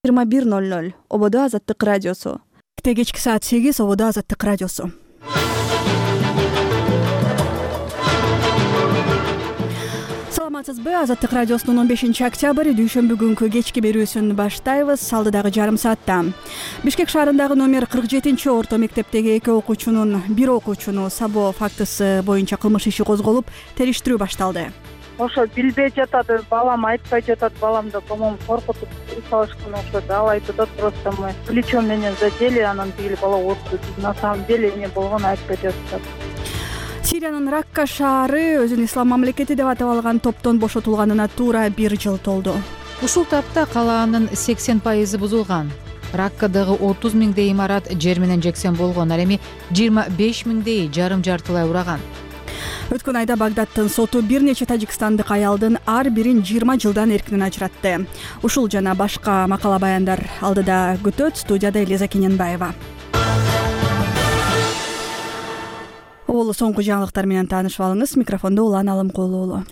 21:00 Ободо Азаттык радиосу. Кечки саат 8 Ободо Азаттык радиосу. Саламатсызбы? Азаттык радиосунун 15-октябрь дүйшөмбү күнкү кечки берүүсүн баштайбыз. Алдыдагы жарым саатта Бишкек шаарындагы номер 47-орто мектептеги 2 окуучунун 1 окуучуну сабоо фактысы боюнча кылмыш иши козголуп, териштирүү башталды. Ошо билбей жатат, балам айтпай жатат, баламды, по-моему, коркутуп салышкан окшойт. Ал айтып атат, просто мы плечом менен задели, анан тигил бала отурду. На самом деле эмне болгонун айтпай жатат. Сириянын Ракка шаары өзүн ислам мамлекети деп атап алган топтон бошотулганына туура 1 жыл толду. Ушул тапта калаанын 80% бузулган. Раккадагы 30 миңдей имарат жер менен жексен болгон, ал эми 25 миңдей жарым-жартылай ураган. Өткөн айда Багдадтын соту бир нече тажикстандык аялдын ар бирин 20 жылдан эркинен ажыратты. Ушул жана башка макала баяндар алдыда күтөт. Студияда Элиза Кененбаева. Ол соңку жаңылыктар менен таанышып алыңыз. Микрофондо Улан Алымкулуу уулу.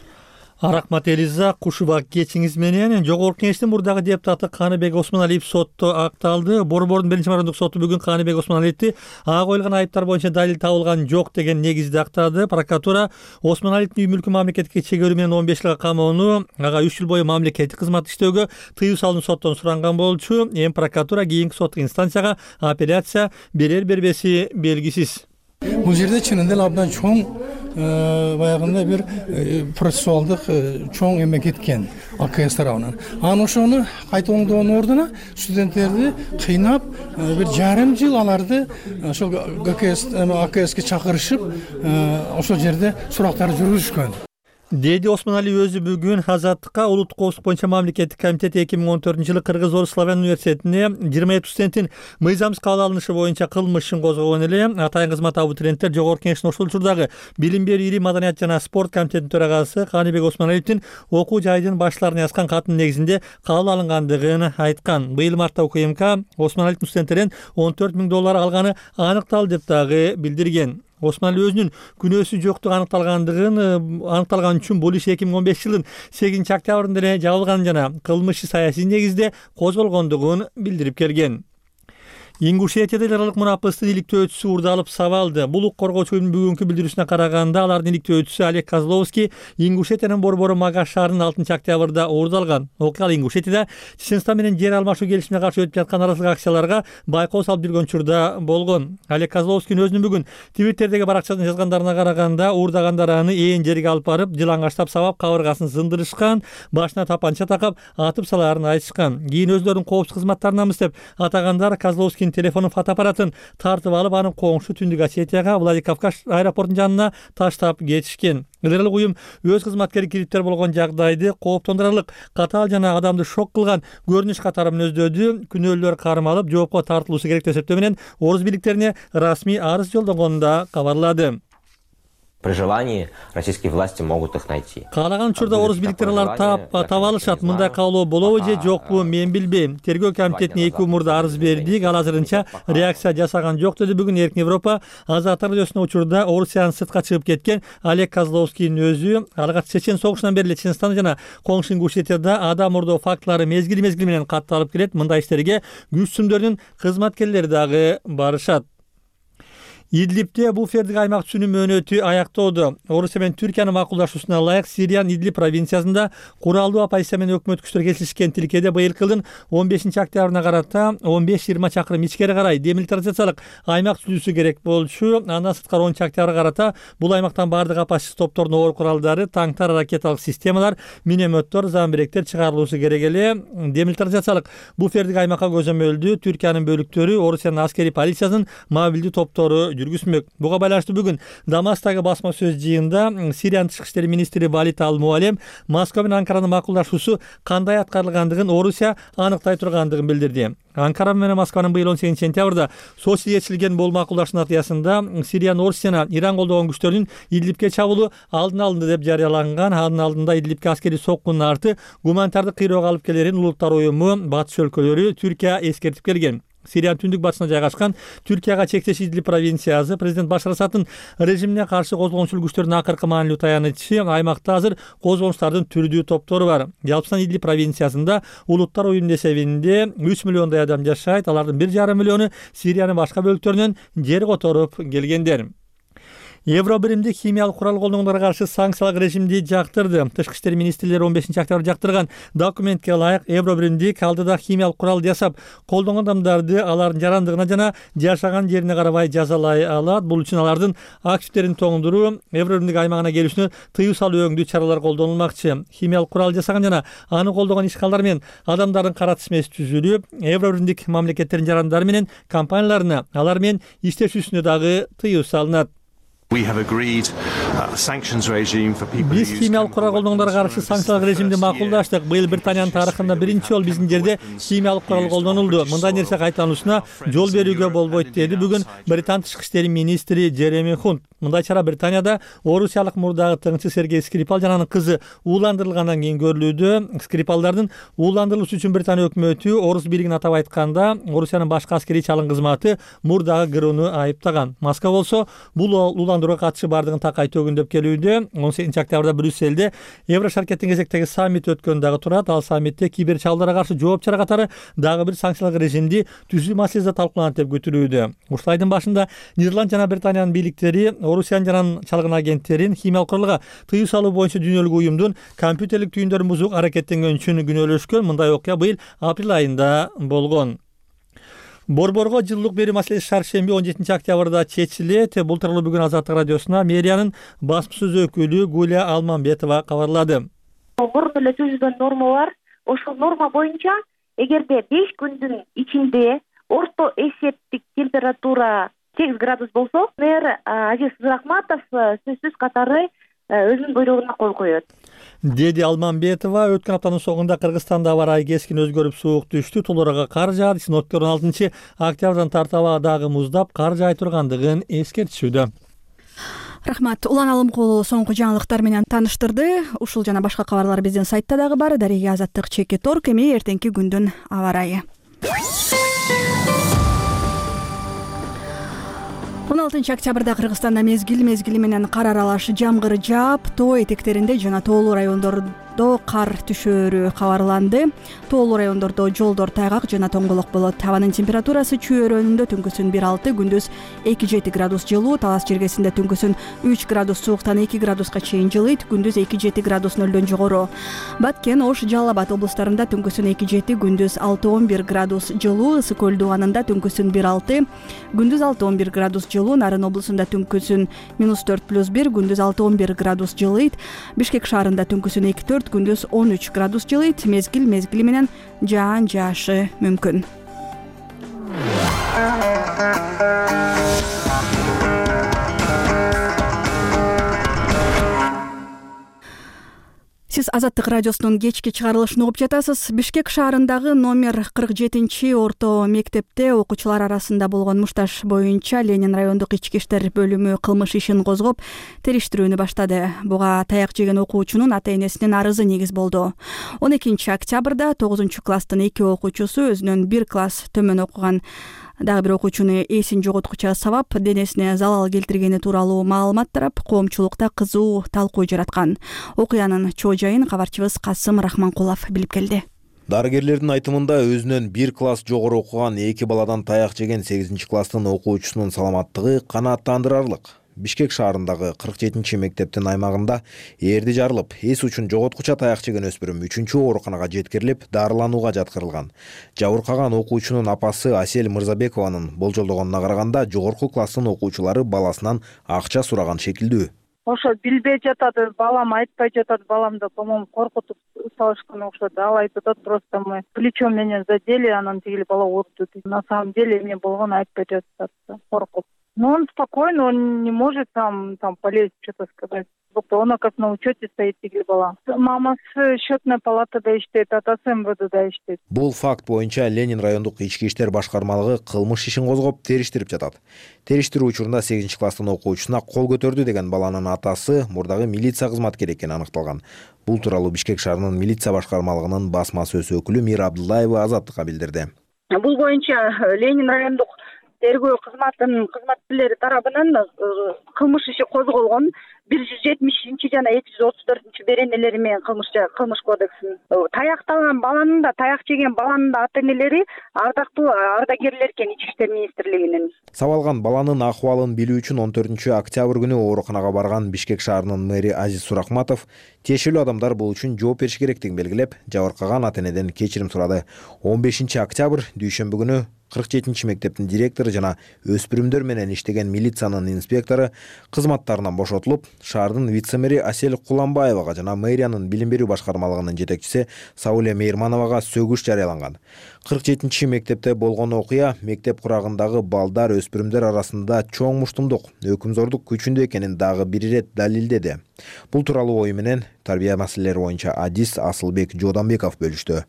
Рахмат Элиза, кушубак кечиңиз менен. Жогорку Кеңештин мурдагы депутаты Каныбек Осмоналиев сотто акталды. Борбордун 1-мамондук соту бүгүн Каныбек Осмоналиевди ага коюлган айыптар боюнча далил табылган жок деген негизде актады. Прокуратура Осмоналиевдин үй мүлкү мамлекетке чегерүү менен 15 жылга камоону, ага 3 жыл бою мамлекеттик кызмат иштөөгө тыюу салынып соттон суранган болчу. Эми прокуратура кийинки соттук инстанцияга апелляция берер-бербеси белгисиз. Бул жерде чынында эле абдан чоң баягындай бир процессуалдык чоң эме кеткен АКС тарабынан. Анан ошону кайталоонун ордуна студенттерди кыйнап бир жарым жыл аларды ошол АКСке чакырышып ошол жерде сурактар жүргүзүшкөн. Деди Осмоналиев өзү бүгүн Азаттыкка улуттук коопсуздук боюнча мамлекеттик комитет 2014-жылы Кыргыз-Орус Славян университетине 27 студенттин мыйзамсыз кабыл алынышы боюнча кылмышын козгогон эле. Атайын кызмат абитуриенттер Жогорку Кеңештин ошол учурдагы билим берүү, ири маданият жана спорт комитетинин төрагасы Каныбек Осмоналиевдин окуу жайдын баштарына жазган каттын негизинде кабыл алынгандыгын айткан. Быйыл мартта УКМК Осмоналиевдин студенттерден $14 000 алганы аныкталды деп дагы билдирген. Осмоналиев өзүнүн күнөөсү жоктугу аныкталган үчүн бул иш 2015 жылдын 8-октябрында эле жабылган жана кылмышы саясий негизде козголгондугун билдирип келген. Ингушетияда эл аралык мунапыстын иликтөөчүсү уурдалып сабалды. Бул укук коргоочунун бүгүнкү билдирүүсүнө караганда алардын иликтөөчүсү Олег Козловский Ингушетиянын борбору Магаш шаарынын 6-октябрда уурдалган. Окуя Ингушетияда Чеченстан менен жер алмашуу келишимине каршы өтүп жаткан арасылык акцияларга байкоо салып жүргөн учурда болгон. Олег Козловский өзүнүн бүгүн Твиттердеги баракчасына жазгандарына караганда уурдагандар аны ээн жерге алып барып, жылаңачтап сабап, кабыргасын сындырышкан, башына тапанча такап, атып салаарын айтышкан. Кийин өзлөрүнүн коопсуздук кызматтарынанбыз деп атагандар Козловский телефонун фотоаппаратын тартып алып, анын коңшу Түндүк Осетияга Владикавказ аэропортунун жанына таштап кетишкен. Эл уюм өз кызматкери кириптер болгон жагдайды кооптондурарлык, катаал жана адамды шок кылган көрүнүш катары мүнөздөдү. Күнөөлөр кармалып, жоопко тартылуусу керек деп эсептөө менен орус бийликтерине расмий арыз жолдогонун да кабарлады. При желании российские власти могут их найти. Каалаган учурда орус бийликтери аларды таба алышат. Мындай каалоо болобу же жокпу мен билбейм. Тергөө комитетине 2 мурда арыз бердик, ал азырынча реакция жасаган жок деди. Бүгүн Эркин Европа Азаттык радиосунун учурда Орусиянын сыртка чыгып кеткен Олег Козловскийдин өзү алгач Чечен согушунан бери эле Чеченстан жана коңшу Ингушетияда адам урдоо фактылары мезгил менен катталып келет. Мындай иштерге күч сүмдөрүнүн кызматкерлери дагы барышат. Идлибте буфердик аймак түзүүнүн мөөнөтү аяктоодо. Орусия менен Түркиянын макулдашуусуна ылайык Сириянын Идлиб провинциясында куралдуу оппозиция менен өкмөт күчтөр келишишкен тилкеде быйылкы жылдын 15-октябрына карата 15-20 чакырым ичкери карай демилитаризациялык аймак түзүүсү керек болчу. Андан сырткары 10-октябрга карата бул аймактан бардык оппозиция топторунун оор куралдары, танктар, ракеталык системалар, минометтор, замбиректер чыгарылуусу керек эле. Демилитаризациялык буфердик аймакка көзөмөлдүү Түркиянын бөлүктөрү, Орусиянын аскери полициянын мобилдүү топтору жүргүзмөк. Буга байланыштуу бүгүн Дамастагы басма сөз жыйында Сириянын тышкы иштер министри Валид Ал-Муалем Москва менен Анкаранын макулдашуусу кандай аткарылгандыгын Орусия аныктай тургандыгын билдирди. Анкара менен Москванын быйыл 18-сентябрда Сочиде чечилген бул макулдашуу натыйжасында Сириянын Орусия жана Иран колдогон күчтөрүнүн Идлибке чабуулу алдын алынды деп жарыяланган. Анын алдында Идлибке аскери соккунун арты гуманитардык кыйроого алып келерин улуттар уюму, батыш өлкөлөрү, Түркия эскертип келген. Сириянын түндүк батышына жайгашкан Түркияга чектеш Идлиб провинциясы президент Башар Асаддын режимине каршы козголгончул күчтөрдүн акыркы маанилүү таянычы. Аймакта азыр козголуштардын түрдүү топтору бар. Жалпысынан Идлиб провинциясында улуттар уюмунун эсебинде 3 миллиондой адам жашайт. Алардын 1,5 миллиону Сириянын башка бөлүктөрүнөн жер которуп келгендер. Евро биримдик химиялык курал колдонгондорго каршы санкциялык режимди жактырды. Тышкы иштер министрлери 15-октябрь жактырган документке ылайык Евро биримдик алдыда химиялык курал жасап колдонгон адамдарды алардын жарандыгына жана жашаган жерине карабай жазалай алат. Бул үчүн алардын активдерин тоңдуруу, Евро биримдик аймагына келүүсүнө тыюу салуу өңдүү чаралар колдонулмакчы. Химиялык курал жасаган жана аны колдогон ишкалдар менен адамдардын кара тизмеси түзүлүп, Евро биримдик мамлекеттердин жарандары менен компанияларына алар менен иштешүүсүнө дагы тыюу салынат. Биз химиялык курал колдонгондорго каршы санкциялык режимди макулдаштык. Быйыл Британиянын тарыхында биринчи жолу биздин жерде химиялык курал колдонулду. Мындай нерсе кайталануусуна жол берүүгө болбойт, деди бүгүн Британ тышкы иштер министри Джереми Хунт. Мындай чара Британияда орусиялык мурдагы тыңчы Сергей Скрипал жана анын кызы ууландырылгандан кийин көрүлүүдө. Скрипалдардын ууландырылышы үчүн Британия өкмөтү Орус бийлигин атап айтканда Орусиянын башкы аскерий чалым кызматы мурдагы ГРУну айыптаган. Москва болсо бул ууландырууга катышы бардыгын такай төгүндөп келүүдө. 18-октябрда Брюсселде Евро шаркеттин кезектеги саммит өткөн дагы турат. Ал саммитте кибер чалымдарга каршы жооп чара катары дагы бир санкциялык режимди түзүү маселеси талкууланат деп күтүлүүдө. Ушул айдын башында Нидерланд жана Британиянын бийликтери Орусиянын жана чалгын агенттерин химиялык куралга тыюу салуу боюнча дүйнөлүк уюмдун компьютерлик түйүндөрүн бузууга аракеттенгөн үчүн күнөөлөшкөн. Мындай окуя быйыл апрель айында болгон. Борборго жылуулук берүү маселеси шаршемби 17-октябрда чечилет. Бул тууралуу бүгүн Азаттык радиосуна мэриянын басма сөз өкүлү Гуля Алмамбетова кабарлады. Мурун эле түзүлгөн норма бар. Ошол норма боюнча эгерде 5 күндүн ичинде орто эсептик температура 8 градус болсо, мэр Азиз Рахматов сөзсүз катары өзүнүн буйругуна кол коет, деди Алмамбетова. Өткөн аптанын соңунда Кыргызстанда аба ырайы кескин өзгөрүп суук түштү. Толорого кар жаады. Синоптиктер 16-октябрдан тартып дагы муздап кар жай тургандыгын эскертишүүдө. Рахмат. Улан Алымкулу соңку жаңылыктар менен тааныштырды. Ушул жана башка кабарлар биздин сайтта дагы бар. Дареги Азаттык @org. Эми эртеңки күндүн аба ырайы. 16-октябрда Кыргызстанда мезгили менен кар аралаш жамгыр жаап, тоо этектеринде жана тоолуу райондордо кар түшөөрү кабарланды. Тоолуу райондордо жолдор тайгак жана тоңголок болот. Абанын температурасы Чүй өрөөнүндө түнкүсүн 1,6, күндүз 2,7 градус жылуу, Талас жергесинде түнкүсүн 3 градус сууктан 2 градуска чейин жылыйт, күндүз 2,7 градус нөлдөн жогору. Баткен, Ош, Жалал Абад облустарында түнкүсүн 2,7, күндүз 6,11 градус жылуу, Ысык көл дубанында түнкүсүн 1,6, күндүз 6,11 градус жылуу, Нарын облусунда түнкүсүн -4+1, күндүз 6,11 градус жылыйт, Бишкек шаарында түнкүсүн 2,4, күндүз 13 градус жылыйт. Мезгили менен жаан жаашы мүмкүн. Сиз Азаттык радиосунун кечки чыгарылышын угуп жатасыз. Бишкек шаарындагы номер 47 орто мектепте окуучулар арасында болгон мушташ боюнча Ленин райондук ички иштер бөлүмү кылмыш ишин козгоп, териштирүүнү баштады. Буга таяк жеген окуучунун ата-энесинин арызы негиз болду. 12-октябрда 9-класстын 2 окуучусу өзүнөн 1 класс төмөн окуган дагы бир окуучуну эсин жоготкуча сабап, денесине залал келтиргени тууралуу маалымат тарап, коомчулукта кызуу талкуу жараткан. Окуянын чоо жайын кабарчыбыз Касым Рахманкулов билип келди. Дарыгерлердин айтымында өзүнөн 1 класс жогору окуган 2 баладан таяк жеген 8-класстын окуучусунун саламаттыгы канааттандырарлык. Бишкек шаарындагы 47 мектептин аймагында эрди жарылып, эс учун жоготкуча таяк жеген өспүрүм 3-чү ооруканага жеткирилип, дарыланууга жаткырылган. Жабыркаган окуучунун апасы Асель Мырзабекованын болжолдогонуна караганда, жогорку класстын окуучулары баласынан акча сураган шекилдүү. Ошо билбей жатат, балам айтпай жатат, баламды, по-моему, коркутуп салышкан окшойт. Ал айтып атат, просто мы плечом менен задели, анан тигил бала урду. На самом деле эмне болгонун айтпай жатат, коркуп. Но он спокойно, он не может там полезть, что-то сказать. Он, как на учете стоит, тигил бала. Мамасы счетная палатада иштейт, атасы МВДда иштейт. Бул факт боюнча Ленин райондук ички иштер башкармалыгы кылмыш ишин козгоп, териштирип жатат. Териштирүү учурунда 8-класстын окуучусуна кол көтөрдү деген баланын атасы мурдагы милиция кызматкери экени аныкталган. Бул тууралуу Бишкек шаарынын милиция башкармалыгынын басма сөз өкүлү Мира Абдуллаева Азаттыкка билдирди. Бул боюнча Ленин райондук тергөө кызматынын кызматкерлери тарабынан кылмыш иши козголгон 170 жана 234 беренелери менен кылмыш кодексинин таякталган баланын да таяк жеген баланын да ата энелери ардактуу ардагерлер экен Ички иштер министрлигинин. Сабалган баланын акыбалын билүү үчүн 14-октябрь күнү ооруканага барган Бишкек шаарынын мэри Азиз Суракматов тиешелүү адамдар бул үчүн жооп бериш керектигин белгилеп, жабыркаган ата энеден кечирим сурады. 15-октябрь дүйшөмбү күнү 47 мектептин директору жана өспүрүмдөр менен иштеген милициянын инспектору кызматтарынан бошотулуп, шаардын вице-мэри Асель Куланбаевага жана мэриянын билим берүү башкармалыгынын жетекчиси Сауле Мейирмановага сөгүш жарыяланган. 47 мектепте болгон окуя мектеп курагындагы балдар, өспүрүмдөр арасында чоң муштумдук, өкүмзордук күчүндө экенин дагы бир ирет далилдеди. Бул тууралуу ою менен тарбия маселелери боюнча адис Асылбек Жууданбеков бөлүштү.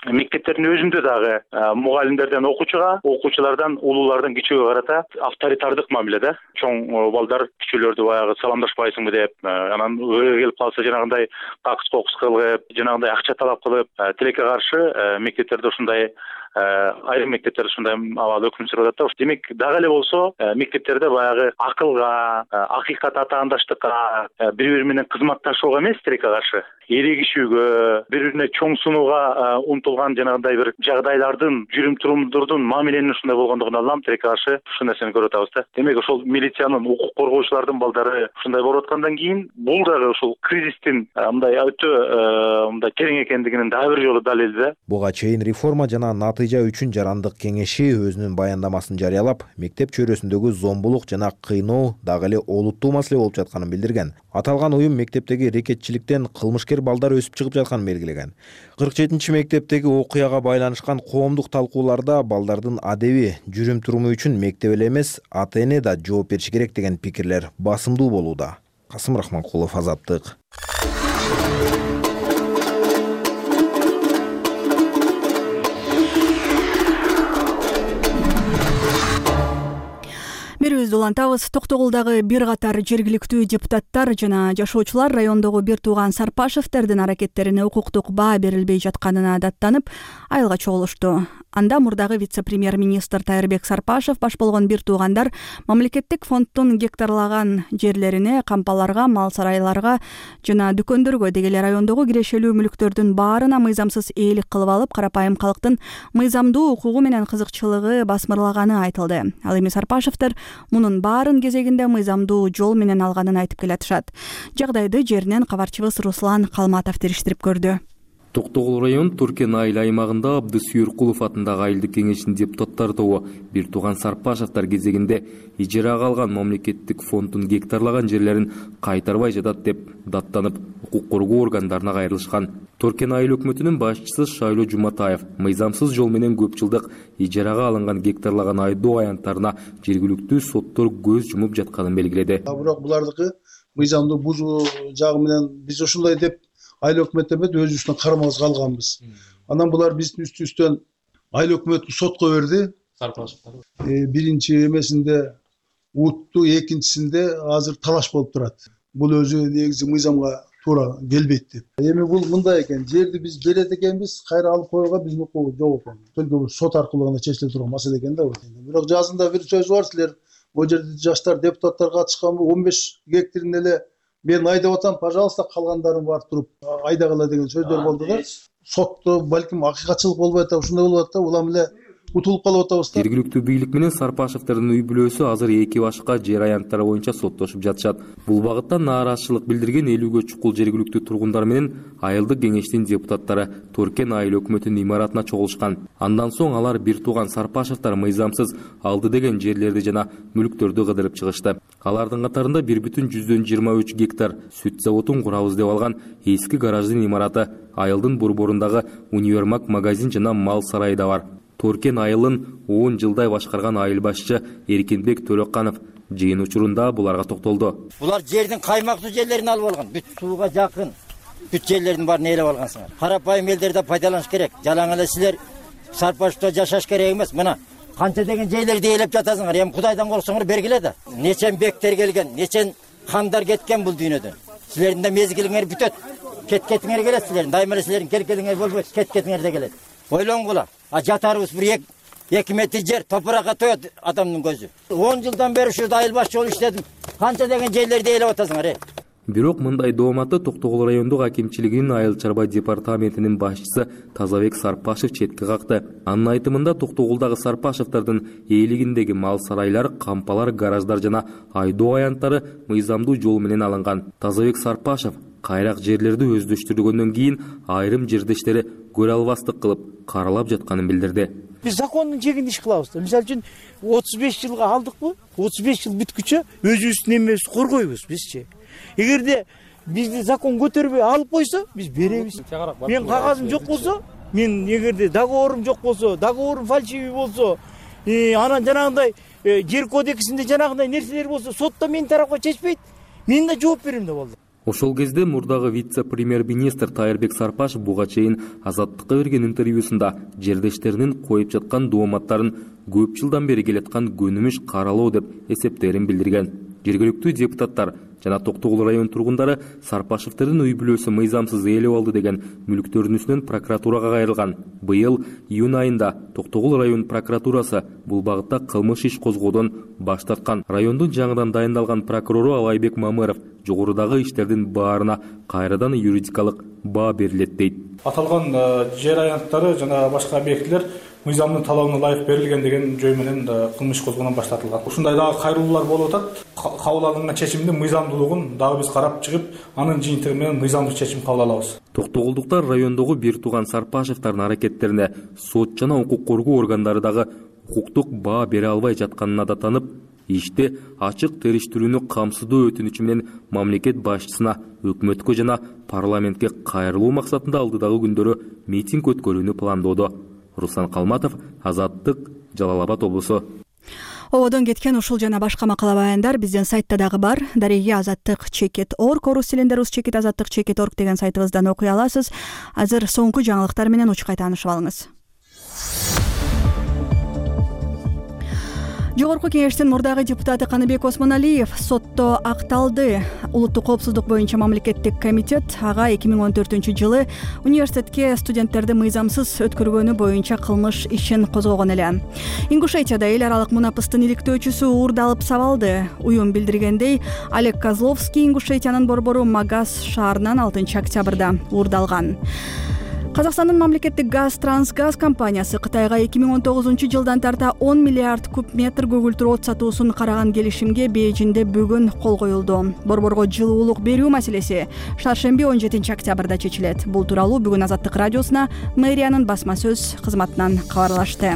Мектептердин өзүндө дагы мугалимдерден окуучулардан улуулардан кичүүгө карата авторитардык мамиледе. Чоң балдар кичүүлөрдү баягы саламдашпайсыңбы деп, анан өрө келип калса жанагындай какыс-кокус кылып, жанагындай акча талап кылып, тилекке каршы мектептерде ушундай айрым мектептерде ушундай абал өкүм сүрүп атат. Демек дагы эле болсо мектептерде баягы акылга, акыйкат атаандаштыкка, бири-бири менен кызматташууга эмес, тилекке каршы эрегишүүгө, бири-бирине чоң сунууга умтулган жанагындай бир жагдайлардын, жүрүм-турумдордун мамиленин ушундай болгондугун алам, тилекке каршы ушул нерсени көрүп атабыз да. Демек ошол милициянын, укук коргоочулардын балдары ушундай болуп аткандан кийин бул дагы ушул кризистин мындай өтө мындай терең экендигинин дагы бир жолу далили да. Буга чейин реформа жана натыйжа үчүн жарандык кеңеши өзүнүн баяндамасын жарыялап, мектеп чөйрөсүндөгү зомбулук жана кыйноо дагы эле олуттуу маселе болуп жатканын билдирген. Аталган уюм мектептеги рекетчиликтен кылмышкер балдар өсүп чыгып жатканын белгилеген. 47 мектептеги окуяга байланышкан коомдук талкууларда балдардын адеби, жүрүм-туруму үчүн мектеп эле эмес, ата эне да жооп бериши керек деген пикирлер басымдуу болууда. Касым Рахманкулов, Азаттык. Берүүбүздү улантабыз. Токтогулдагы бир катар жергиликтүү депутаттар жана жашоочулар райондогу бир тууган Сарпашевтердин аракеттерине укуктук баа берилбей жатканына даттанып, айылга чогулушту. Анда мурдагы вице-премьер-министр Тайырбек Сарпашев баш болгон бир туугандар мамлекеттик фонддун гектарлаган жерлерине, кампаларга, мал сарайларга жана дүкөндөргө деги эле райондогу кирешелүү мүлктөрдүн баарына мыйзамсыз ээлик кылып алып, карапайым калктын мыйзамдуу укугу менен кызыкчылыгы басмырлаганы айтылды. Ал эми Сарпашевтер мунун баарын кезегинде мыйзамдуу жол менен алганын айтып келатышат. Жагдайды жеринен кабарчыбыз Руслан Калматов териштирип көрдү. Токтогул район Туркен айыл аймагында Абдысүйүркулов атындагы айылдык кеңештин депутаттар тобу бир тууган Сарпашевтер кезегинде ижарага алган мамлекеттик фонддун гектарлаган жерлерин кайтарбай жатат деп даттанып, укук коргоо органдарына кайрылышкан. Туркен айыл өкмөтүнүн башчысы Шайлоо Жуматаев мыйзамсыз жол менен көп жылдык ижарага алынган гектарлаган айдоо аянттарына жергиликтүү соттор көз жумуп жатканын белгиледи. Бирок булардыкы мыйзамды бузуу жагы менен биз ушундай деп айыл өкмөт эмес, өзүбүздүн карамабызга алганбыз. Анан булар биздин үстүбүздөн айыл өкмөтүн сотко берди. Биринчи эмесинде утту, экинчисинде азыр талаш болуп турат. Бул өзү негизи мыйзамга туура келбейт деп. Эми бул мындай экен, жерди биз берет экенбиз, кайра алып коюуга биздин укугубуз жок экен. Только сот аркылуу гана чечиле турган маселе экен да. Бирок жазында бир сөз бар, силер бул жерде жаштар депутаттар катышканбы, 15 гектарын эле мен айдап атам, пожалуйста, калгандарың барып туруп айдагыла деген сөздөр болду да. Сотто балким акыйкатчылык болбой атат, ушундай болуп атат да, улам эле утулуп калып атабыз да. Жергиликтүү бийлик менен Сарпашевтердин үй бүлөсү азыр эки башка жер аянттары боюнча соттошуп жатышат. Бул багытта нааразычылык билдирген 50гө чукул жергиликтүү тургундар менен айылдык кеңештин депутаттары Туркен айыл өкмөтүнүн имаратына чогулушкан. Андан соң алар бир тууган Сарпашевтер мыйзамсыз алды деген жерлерди жана мүлктөрдү кыдырып чыгышты. Алардын катарында 1,23 гектар сүт заводун курабыз деп алган эски гараждын имараты, айылдын борборундагы универмаг магазин жана мал сарайы да бар. Туркен айылын 10 жылдай башкарган айыл башчы Эркинбек Төлөкканов жыйын учурунда буларга токтолду. Булар жердин каймактуу жерлерин алып алган, бүт сууга жакын, бүт жерлердин баарын ээлеп алгансыңар. Карапайым элдерде пайдаланыш керек. Жалаң эле силер Сарпашевте жашаш керек эмес. Мына канча деген жерлерди ээлеп жатасыңар. Эми Кудайдан корксоңор бергиле да. Нечен бектер келген, нечен хандар кеткен бул дүйнөдөн. Силердин да мезгилиңер бүтөт. Кеткетиңер келет силердин. Дайыма эле силердин келгениңер болбойт, кеткетиңер да келет. Ойлоңгула. Жатарыбыз бир 2 метр жер топуракка тоет адамдын көзү. 10 жылдан бери ушул айыл башчы болуп иштедим. Канча деген жерлерди ээлеп атасыңар? Бирок мындай дооматты Токтогул райондук акимчилигинин айыл чарба департаментинин башчысы Тазабек Сарпашев четке какты. Анын айтымында Токтогулдагы Сарпашевдардын ээлигиндеги мал сарайлар, кампалар, гараждар жана айдоо аянттары мыйзамдуу жол менен алынган. Тазабек Сарпашев кайрак жерлерди өздөштүргөндөн кийин айрым жердештери көрө албастык кылып каралап жатканын билдирди. Биз закондун чегинде иш кылабыз. Мисалы үчүн 35 жылга алдыкпы? 35 жыл бүткүчө өзүбүздүн эмебизди коргойбуз бизчи. Эгерде бизди закон көтөрбөй алып койсо, биз беребиз. Мен кагазым жок болсо, мен эгерде договорум жок болсо, договорум фальшивый болсо, анан жанагындай жер кодексинде жанагындай нерселер болсо, сотто менин тарапка чечпейт, мен да жооп берем да болду. Ошол кезде мурдагы вице-премьер-министр Тайырбек Сарпашев буга чейин Азаттыкка берген интервьюсунда жердештеринин коюп жаткан дооматтарын көп жылдан бери келаткан көнүмүш каралоо деп эсептерин билдирген. Жергиликтүү депутаттар жана Токтогул район тургундары Сарпашевдердин үй бүлөсү мыйзамсыз ээлеп алды деген мүлктөрдүн үстүнөн прокуратурага кайрылган. Быйыл июнь айында Токтогул район прокуратурасы бул багытта кылмыш иш козгоодон баш тарткан. Райондун жаңыдан дайындалган прокурору Алайбек Мамыров жогорудагы иштердин баарына кайрадан юридикалык баа берилет дейт. Аталган жер аянттары жана башка объектилер мыйзамдын талабына ылайык берилген деген жөө менен кылмыш козгоодон баш тартылган. Ушундай дагы кайрылуулар болуп атат. Кабыл алынган чечимдин мыйзамдуулугун дагы биз карап чыгып, анын жыйынтыгы менен мыйзамдуу чечим кабыл алабыз. Токтогулдуктар райондогу бир тууган Сарпашевдардын аракеттерине сот жана укук коргоо органдары дагы укуктук баа бере албай жатканына да танып, ишти ачык териштирүүнү камсыздоо өтүнүчү менен мамлекет башчысына, өкмөткө жана парламентке кайрылуу максатында алдыдагы күндөрү митинг өткөрүүнү пландоодо. Руслан Калматов, Азаттык, Жалал Абад облусу. Ободон кеткен ушул жана башка макала баяндар биздин сайтта дагы бар. Дареги Азаттык.org, орус тилинде Azattik.org деген сайтыбыздан окуй аласыз. Азыр соңку жаңылыктар менен учкай таанышып алыңыз. Жогорку кеңештин мурдагы депутаты Каныбек Осмоналиев сотто акталды. Улуттук коопсуздук боюнча мамлекеттик комитет ага 2014-жылы университетке студенттерди мыйзамсыз өткөргөнү боюнча кылмыш ишин козгогон эле. Ингушетияда эл аралык мунапыстын иликтөөчүсү уурдалып сабалды. Уюм билдиргендей, Олег Козловский Ингушетиянын борбору Магаз шаарынан 6-октябрда уурдалган. Казакстандын мамлекеттик газ Трансгаз компаниясы Кытайга 2019-жылдан тарта 10 миллиард куб метр көгүлтүр от сатуусун караган келишимге Бейжиңде бүгүн кол коюлду. Борборго жылуулук берүү маселеси шаршемби 17-октябрда чечилет. Бул тууралуу бүгүн Азаттык радиосуна мэриянын басма сөз кызматынан кабарлашты.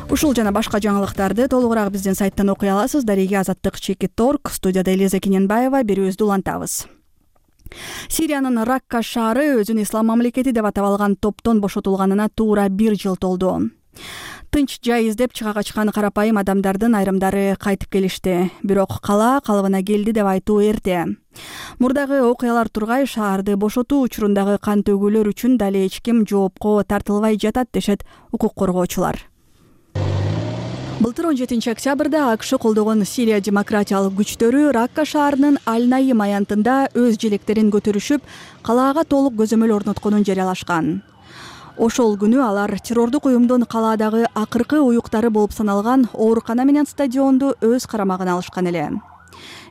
Ушул жана башка жаңылыктарды толугураак биздин сайттан окуй аласыз. Дареги Azattik.org, студияда Элиза Кененбаева, берүүбүздү улантабыз. Сириянын Ракка шаары өзүн ислам мамлекети деп атап алган топтон бошотулганына туура 1 жыл толду. Тынч жай издеп чыга качкан карапайым адамдардын айрымдары кайтып келишти. Бирок кала калыбына келди деп айтуу эрте. Мурдагы окуялар тургай шаарды бошотуу учурундагы кан төгүүлөр үчүн дали эч ким жоопко тартылбай жатат дешет укук коргоочулар. Былтыр 17-октябрда АКШ колдогон Сирия демократиялык күчтөрү Ракка шаарынын Аль-Наим аянтында өз желектерин көтөрүшүп, калаага толук көзөмөл орнотконун жарыялашкан. Ошол күнү алар террордук уюмдун калаадагы акыркы уюктары болуп саналган оорукана менен стадионду өз карамагына алышкан эле.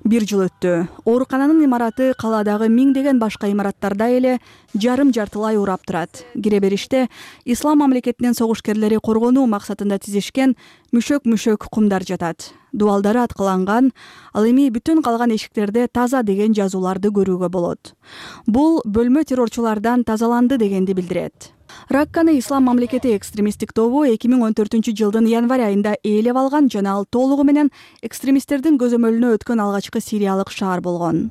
1 жыл өттү. Оорукананын имараты калаадагы миңдеген башка имараттарда эле жарым-жартылай урап турат. Кире бериште ислам мамлекетинин согушкерлери коргонуу максатында тизишкен мүшөк кумдар жатат. Дубалдары аткыланган, ал эми бүтүн калган эшиктерде таза деген жазууларды көрүүгө болот. Бул бөлмө террорчулардан тазаланды дегенди билдирет. Ракканы ислам мамлекети экстремисттик тобу 2014-жылдын январь айында ээлеп алган жана ал толугу менен экстремисттердин көзөмөлүнө өткөн алгачкы сириялык шаар болгон.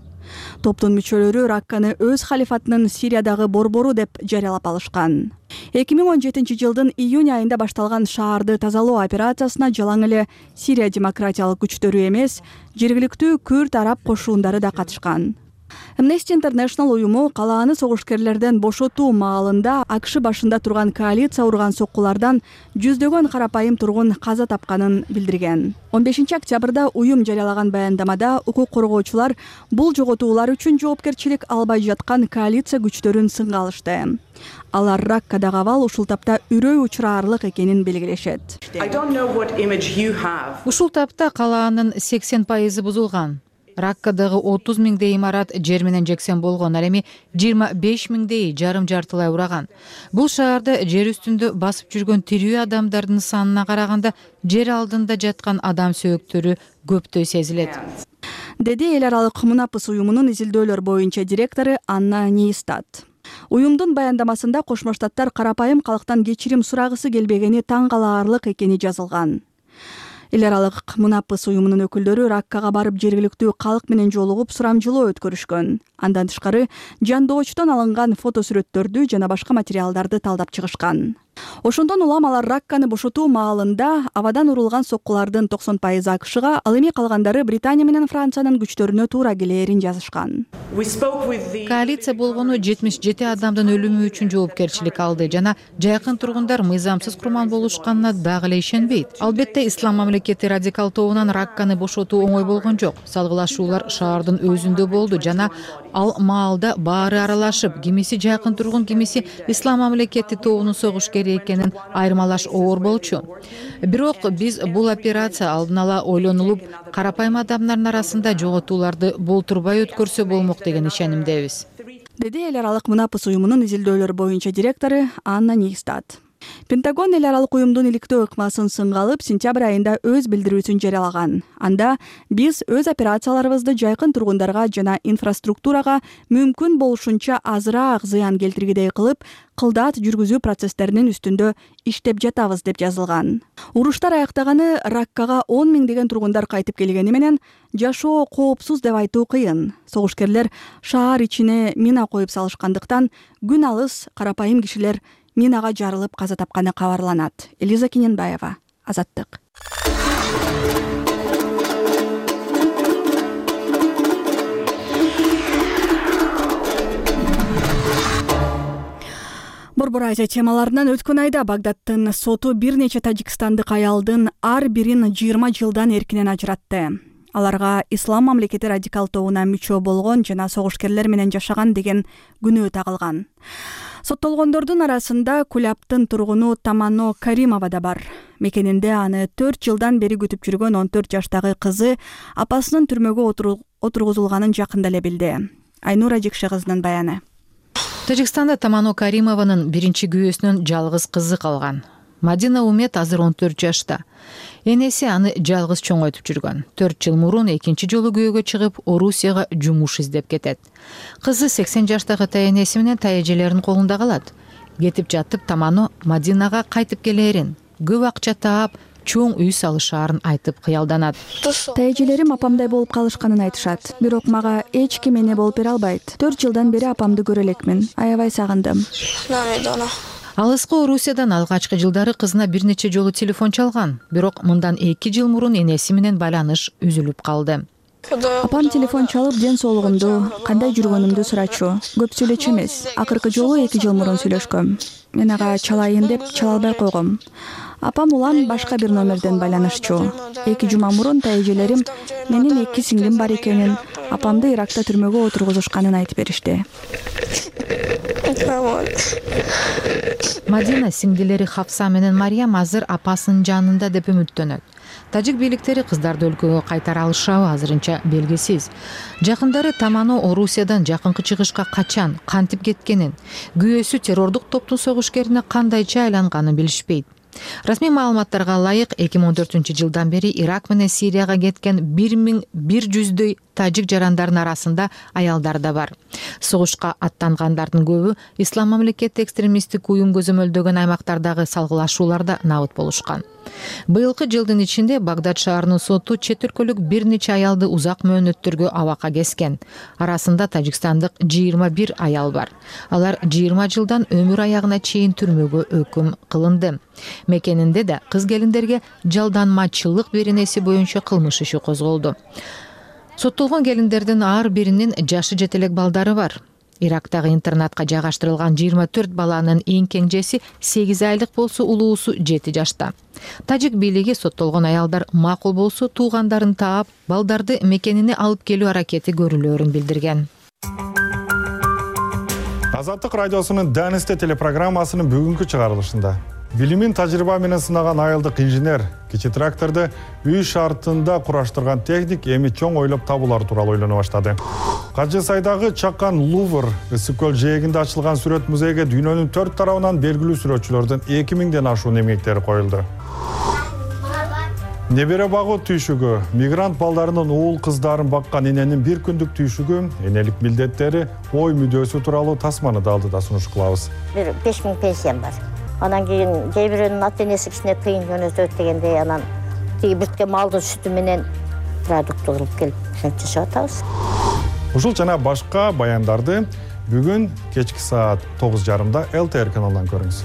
Топтун мүчөлөрү Ракканы өз халифатынын Сириядагы борбору деп жарыялап алышкан. 2017-жылдын июнь айында башталган шаарды тазалоо операциясына жалаң эле Сирия демократиялык күчтөрү эмес, жергиликтүү Күрд араб кошуундары да катышкан. Amnesty International уюму калааны согушкерлерден бошотуу маалында АКШ башында турган коалиция урган соккулардан жүздөгөн карапайым тургун каза тапканын билдирген. 15 октябрда уюм жарыялаган баяндамада укук коргоочулар бул жоготуулар үчүн жоопкерчилик албай жаткан коалиция күчтөрүн сынга алышты. Алар Раккадагы абал ушул тапта үрөй учураарлык экенин белгилешет. Ушул тапта калаанын 80% бузулган. Раккадагы 30 миңдей имарат жер менен жексен болгон, ал эми 25 миңдей жарым-жартылай ураган. Бул шаарда жер үстүндө басып жүргөн тирүү адамдардын санына караганда жер алдында жаткан адам сөөктөрү көптөй сезилет. Деди эл аралык Мунапыс уюмунун изилдөөлөр боюнча директору Анна Нейстат. Уюмдун баяндамасында Кошмо Штаттар карапайым калктан кечирим сурагысы келбегени таң калаарлык экени жазылган. Эл аралык Мунапыс уюмунун өкүлдөрү Раккага барып жергиликтүү калк менен жолугуп сурамжылоо өткөрүшкөн. Андан тышкары жандоочтон алынган фотосүрөттөрдү жана башка материалдарды талдап чыгышкан. Ошондон улам алар Ракканы бошотуу маалында абадан урулган соккулардын 90% АКШга, ал эми калгандары Британия менен Франциянын күчтөрүнө туура келээрин жазышкан. Коалиция болгону 77 адамдын өлүмү үчүн жоопкерчилик алды жана жайкын тургундар мыйзамсыз курман болушканына дагы эле ишенбейт. Албетте ислам мамлекети радикал тобунан Ракканы бошотуу оңой болгон жок. Салгылашуулар шаардын өзүндө болду жана ал маалда баары аралашып, кимиси жайкын тургун, кимиси ислам мамлекети тобунун согушкери экенин айырмалаш оор болчу. Бирок биз бул операция алдын ала ойлонулуп, карапайым адамдардын арасында жоготууларды болтурбай өткөрсө болмок деген ишенимдебиз. Деди эл аралык Мунапыс уюмунун изилдөөлөр боюнча директору Анна Нейстат. Пентагон эл аралык уюмдун иликтөө ыкмасын сынга алып, сентябрь айында өз билдирүүсүн жарыялаган. Анда биз өз операцияларыбызды жайкын тургундарга жана инфраструктурага мүмкүн болушунча азыраак зыян келтиргидей кылып, кылдаат жүргүзүү процесстеринин үстүндө иштеп жатабыз деп жазылган. Уруштар аяктаганы Раккага 10 миңдеген тургундар кайтып келгени менен жашоо коопсуз деп айтуу кыйын. Согушкерлер шаар ичине мина коюп салышкандыктан күн алыс карапайым кишилер минага жарылып каза тапканы кабарланат. Элиза Кененбаева, Азаттык. Борбор Азия темаларынан өткөн айда Багдадтын соту бир нече тажикстандык аялдын ар бирин 20 жылдан эркинен ажыратты. Аларга ислам мамлекети радикал тобуна мүчө болгон жана согушкерлер менен жашаган деген күнөө тагылган. Соттолгондордун арасында Кулябтын тургуну Тамано Каримова да бар. Мекенинде аны 4 жылдан бери күтүп жүргөн 14 жаштагы кызы апасынын түрмөгө отургузулганын жакында эле билди. Айнура Жекше кызынын баяны. Тажикстанда Тамано Каримованын биринчи күйөөсүнөн жалгыз кызы калган. Мадина Умет азыр 14 жашта. Энеси аны жалгыз чоңойтуп жүргөн. 4 жыл мурун экинчи жолу күйөөгө чыгып, Орусияга жумуш издеп кетет. Кызы 80 жаштагы тайэнеси менен тайэжелеринин колунда калат. Кетип жатып Тамано Мадинага кайтып келээрин, көп акча таап, чоң үй салышаарын айтып кыялданат. Тайэжелерим апамдай болуп калышканын айтышат. Бирок мага эч ким эне болуп бере албайт. 4 жылдан бери апамды көрө элекмин. Аябай сагындым. Алыскы Орусиядан алгачкы жылдары кызына бир нече жолу телефон чалган. Бирок мындан 2 жыл мурун энеси менен байланыш үзүлүп калды. Апам телефон чалып ден соолугумду, кандай жүргөнүмдү сурачу. Көп сүйлөчү эмес. Акыркы жолу 2 жыл мурун сүйлөшкөм. Мен ага чалайын деп чала албай койгом. Апам улам башка бир номерден байланышчу. 2 жума мурун тайэжелерим менин 2 сиңдим бар экенин, апамды Иракта түрмөгө отургузушканын айтып беришти. Мадина сиңдилери Хафса менен Мариям азыр апасынын жанында деп үмүттөнөт. Тажик бийликтери кыздарды өлкөгө кайтара алышабы азырынча белгисиз. Жакындары Тамано Орусиядан жакынкы чыгышка качан, кантип кеткенин, күйөөсү террордук топтун согушкерине кандайча айланганын билишпейт. Расмий маалыматтарга ылайык 2014 жылдан бери Ирак менен Сирияга кеткен 1100дөй тажик жарандардын арасында аялдар да бар. Согушка аттангандардын көбү ислам мамлекети экстремисттик уюм көзөмөлдөгөн аймактардагы салгылашууларда набыт болушкан. Быйылкы жылдын ичинде Багдад шаарынын соту чет өлкөлүк бир нече аялды узак мөөнөттөргө абакка кескен. Арасында тажикстандык 21 аял бар. Алар 20 жылдан өмүр аягына чейин түрмөгө өкүм кылынды. Мекенинде да кыз келиндерге жалданмачылык беренеси боюнча кылмыш иши козголду. Соттолгон келиндердин ар биринин жашы жете элек балдары бар. Ирактагы интернатка жайгаштырылган 24 баланын эң кеңжеси 8 айлык болсо, улуусу 7 жашта. Тажик бийлиги соттолгон аялдар макул болсо туугандарын таап, балдарды мекенине алып келүү аракети көрүлөөрүн билдирген. Азаттык радиосунун Данисте телепрограммасынын бүгүнкү чыгарылышында билимин тажрыйба менен сынаган айылдык инженер кичи тракторду үй шартында кураштырган техник эми чоң ойлоп табуулар тууралуу ойлоно баштады. Кажы сайдагы Чакан Лувр ысык көл жээгинде ачылган сүрөт музейге дүйнөнүн 4 тарабынан белгилүү сүрөтчүлөрдүн 2000ден ашуун эмгектери коюлду. Небере багуу түйшүгү, мигрант балдарынын уул кыздарын баккан эненин бир күндүк түйшүгү, энелик милдеттери, ой мүдөөсү тууралуу тасманды алдыда сунуш кылабыз. 5000 пенсиям бар. Анан кийин кээ бирөөнүн ата энеси кичине кыйын жөнөтөт дегенде, анан тиги бүрткөн малдын сүтү менен продукт кылып келип жашап атабыз. Ушул жана башка баяндарды бүгүн кечки саат 9:30 ЛТР каналынан көрүңүз.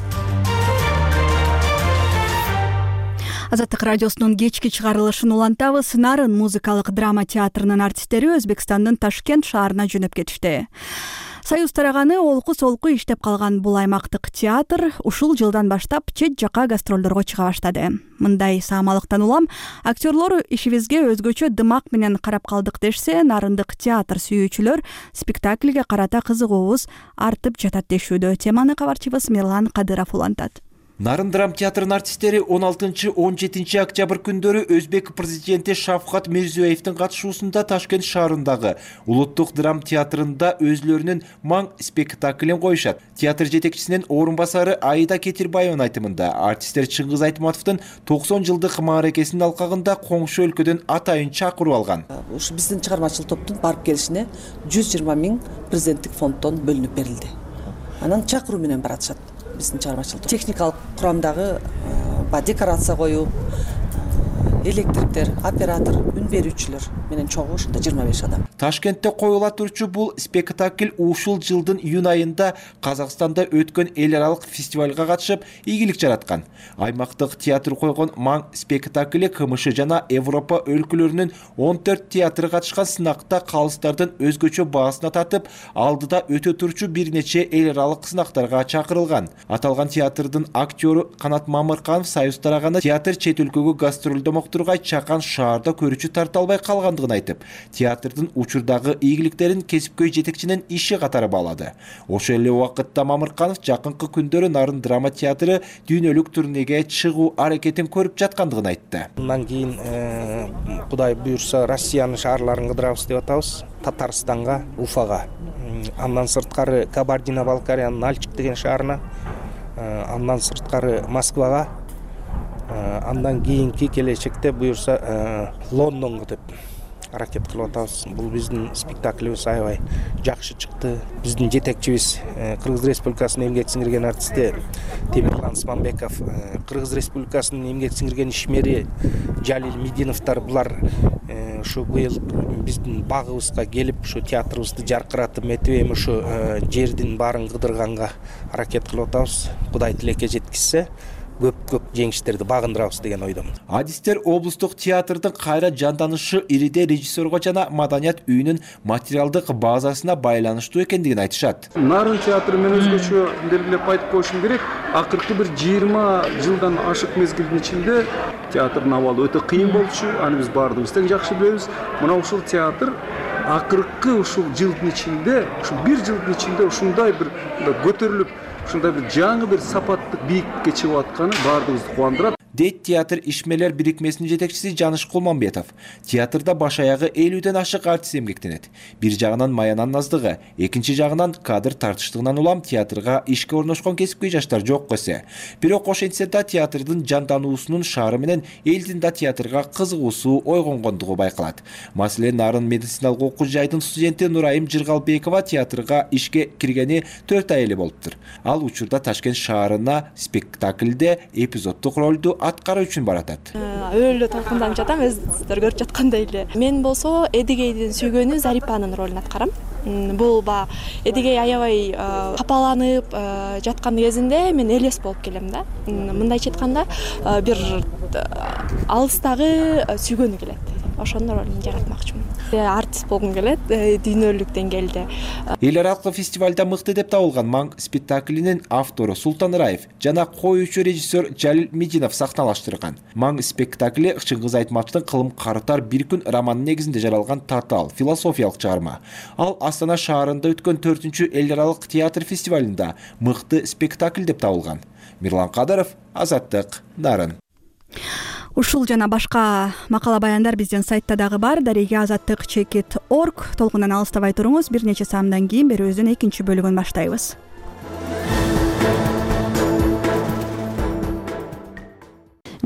Азаттык радиосунун кечки чыгарылышын улантабыз. Нарын музыкалык драма театрынын артисттери Өзбекстандын Ташкент шаарына жөнөп кетишти. Союз тараганы олку-солку иштеп калган бул аймактык театр ушул жылдан баштап чет жакка гастролдорго чыга баштады. Мындай саамалыктан улам актерлор ишибизге өзгөчө дымак менен карап калдык дешсе, нарындык театр сүйүүчүлөр спектакльге карата кызыгуубуз артып жатат дешүүдө. Теманы кабарчыбыз Мирлан Кадыров улантат. Нарын драм театрынын артисттери 16-17 октябрь күндөрү Өзбек президенти Шавкат Мирзиёевдин катышуусунда Ташкент шаарындагы Улуттук драм театрында өзлөрүнүн маң спектаклин коюшат. Театр жетекчисинин орун басары Аида Кетирбаеванын айтымында артисттер Чыңгыз Айтматовдун 90 жылдык мааракесинин алкагында коңшу өлкөдөн атайын чакырып алган. Ушу биздин чыгармачылык топтун барып келишине 120 000 президенттик фонддон бөлүнүп берилди. Анан чакыруу менен баратышат. Биздин чыгармачылык техникалык курамдагы декорация коюу, электриктер, оператор, үн берүүчүлөр менен чогуу ушунда 25 адам. Ташкентте коюла турчу бул спектакль ушул жылдын июнь айында Казакстанда өткөн эл аралык фестивалга катышып, ийгилик жараткан. Аймактык театр койгон маң спектакли КМШ жана Европа өлкөлөрүнүн 14 театры катышкан сынакта калыстардын өзгөчө баасына татып, алдыда өтө турчу бир нече эл аралык сынактарга чакырылган. Аталган театрдын актёру Канат Мамырканов Союз тараганы театр чет өлкөгө гастролдомок тургай Чакан шаарда көрүүчү тарта албай калгандыгын айтып, театрдын учурдагы ийгиликтерин кесипкөй жетекчинин иши катары баалады. Ошол эле убакытта Мамырканов жакынкы күндөрү Нарын драма театры дүйнөлүк турнеге чыгуу аракетин көрүп жаткандыгын айтты. Андан кийин Кудай буйрса Россиянын шаарларын кыдырабыз деп атабыз. Татарстанга, Уфага, андан сырткары Кабардино-Балкариянын Нальчик деген шаарына, андан сырткары Москвага, андан кийинки келечекте буйрса Лондонго деп аракет кылып атабыз. Бул биздин спектаклибиз аябай жакшы чыкты. Биздин жетекчибиз Кыргыз Республикасынын эмгек сиңирген артисти Темирлан Смамбеков, Кыргыз Республикасынын эмгек сиңирген ишмери Жалил Мединовдор булар ушу быйыл биздин багыбызга келип, ушу театрыбызды жаркыратып, метибем ушу жердин баарын кыдырганга аракет кылып атабыз. Кудай тилекке жеткизсе, көп жеңиштерди багындырабыз деген ойдомун. Адистер облустук театрдын кайра жанданышы ириде режиссерго жана маданият үйүнүн материалдык базасына байланыштуу экендигин айтышат. Нарын театры мен өзгөчө белгилеп айтып коюшум керек. Акыркы бир 20 жылдан ашык мезгилдин ичинде театрдын абалы өтө кыйын болчу. Аны биз баардыгыбыз тең жакшы билебиз. Мына ушул театр акыркы ушул жылдын ичинде, ушул бир жылдын ичинде ушундай бир көтөрүлүп, ушундай бир жаңы бир сапаттык бийиктикке чыгып атканы баардыгыбызды кубандырат. Дейт театр ишмерлер бирикмесинин жетекчиси Жаныш Кулманбетов. Театрда баш аягы 50ден ашык артист эмгектенет. Бир жагынан маянан наздыгы, экинчи жагынан кадр тартыштыгынан улам театрга ишке орношкон кесипкөй жаштар жок көсө. Бирок ошентсе да театрдын жандануусунун шаары менен элдин да театрга кызыгуусу ойгонгондугу байкалат. Маселен, Нарын медициналык окуу жайдын студенти Нурайым Жыргалбекова театрга ишке киргени 4 ай эле болуптур. Ал учурда Ташкент шаарына спектакльде эпизоддук ролду аткаруу үчүн баратат. Өлө толкунданып жатам, өзүңүздөр көрүп жаткандай эле. Мен болсо Эдигейдин сүйгөнү Зарипанын ролун аткарам. Бул Эдигей аябай капаланып жаткан кезинде мен элес болуп келем да. Мындайча айтканда бир алыстагы сүйгөнү келет. ошонун ролун жаратмакчымын. Артист болгум келет дүйнөлүк деңгээлде. Эл аралык фестивалда мыкты деп табылган Маң спектаклинин автору Султан Раев жана коюучу режиссер Жалил Мединов сахналаштырган. Маң спектакли Чыңгыз Айтматовдун Кылым карытар бир күн романы негизинде жаралган татаал философиялык чыгарма. Ал Астана шаарында өткөн 4-чү эл аралык театр фестивалында мыкты спектакль деп табылган. Мирлан Кадыров, Азаттык, Нарын. Ушул жана башка макала баяндар биздин сайтта дагы бар. Дареге Азаттык /org толкундан алыстабай туруңуз. Бир нече саамдан кийин берүүбүздүн экинчи бөлүгүн баштайбыз.